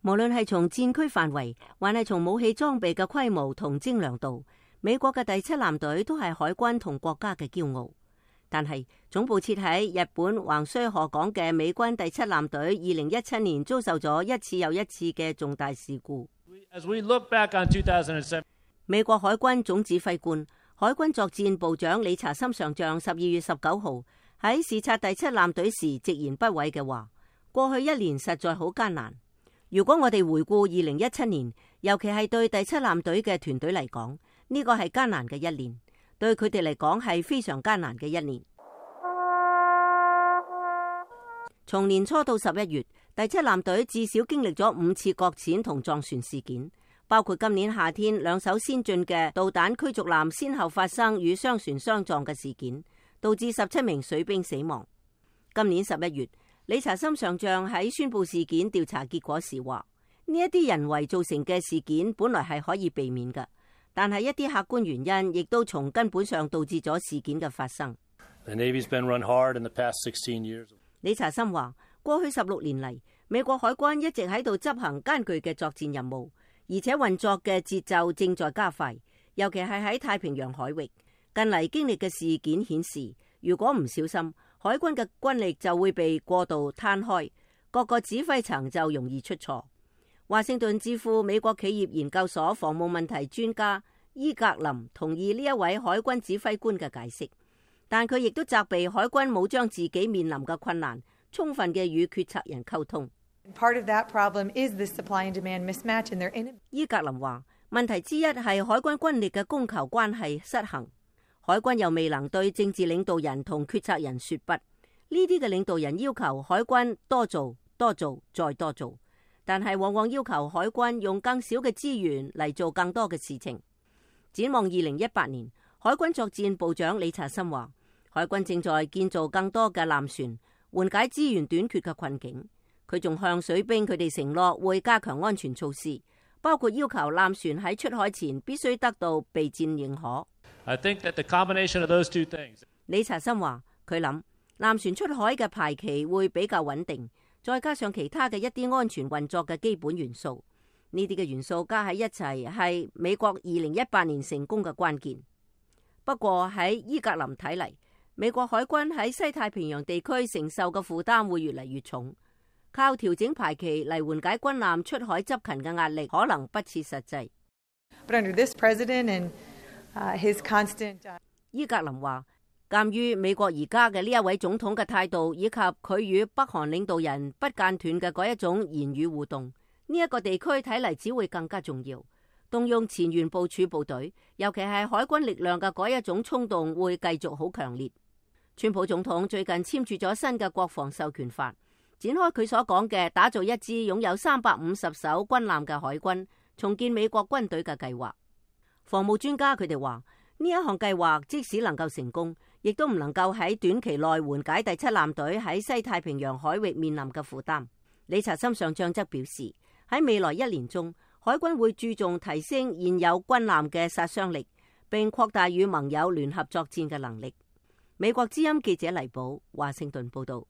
無論係從戰區範圍，還係從武器裝備嘅規模同精良度，美國嘅第7艦隊都係海軍同國家嘅驕傲。但係總部設喺日本橫須賀港嘅美軍第7艦隊，2017年遭受咗一次又一次嘅重大事故。美國海軍總指揮官、海軍作戰部長理查森上將12月19號喺視察第7艦隊時直言不諱嘅話：過去一年實在好艱難。如果我哋回顧2017年，尤其係對第7艦隊嘅團隊嚟講，呢個係艱難嘅一年，對佢哋嚟講係非常艱難嘅一年。從年初到11月，第7艦隊至少經歷咗5次擱淺同撞船事件，包括今年夏天2艘先進嘅導彈驅逐艦先後發生與商船相撞嘅事件，導致17名水兵死亡。今年11月，理查森上將喺宣布事件調查結果時話：呢一啲人為造成嘅事件本來係可以避免嘅，但係一啲客觀原因亦都從根本上導致咗事件嘅發生。理查森話：過去16年嚟，美國海軍一直喺度執行艱巨嘅作戰任務，而且運作嘅節奏正在加快，尤其係喺太平洋海域。近嚟經歷嘅事件顯示，如果唔小心，海軍嘅軍力就會被過度攤開，各個指揮層就容易出錯。華盛頓智庫美國企業研究所防務問題專家伊格林同意呢一位海軍指揮官嘅解釋，但佢亦都責備海軍冇將自己面臨嘅困難充分嘅與決策人溝通。伊格林話：問題之一係海軍軍力嘅供求關係失衡。海軍又未能對政治領導人同決策人說不，呢啲嘅領導人要求海軍多做、多做、再多做，但係往往要求海軍用更少嘅資源嚟做更多嘅事情。展望2018年，海軍作戰部長理查森話：海軍正在建造更多嘅艦船，緩解資源短缺嘅困境。佢仲向水兵佢哋承諾會加強安全措施，包括要求艦船喺出海前必須得到備戰認可。理查森話：佢諗艦船出海嘅排期會比較穩定，再加上其他嘅一啲安全運作嘅基本元素，呢啲嘅元素加喺一齊係美國2018年成功嘅關鍵。不過喺伊格林睇嚟，美國海軍喺西太平洋地區承受嘅負擔會越嚟越重，靠調整排期嚟緩解軍艦出海執勤嘅壓力可能不切實際。伊格林話：鑒於美國而家嘅呢一位總統嘅態度，以及佢與北韓領導人不間斷嘅嗰一種言語互動，呢一個地區睇嚟只會更加重要。動用前沿部署部隊，尤其係海軍力量嘅嗰一種衝動會繼續好強烈。川普總統最近簽署咗新嘅國防授權法，展開佢所講嘅打造一支擁有350艘軍艦嘅海軍，重建美國軍隊嘅計劃。防務專家佢哋話，呢一項計劃即使能夠成功，亦都唔能夠喺短期內緩解第7艦隊喺西太平洋海域面臨嘅負擔。理查森上將則表示，喺未來1年中，海軍會注重提升現有軍艦嘅殺傷力，並擴大與盟友聯合作戰嘅能力。美國之音記者黎寶，華盛頓報道。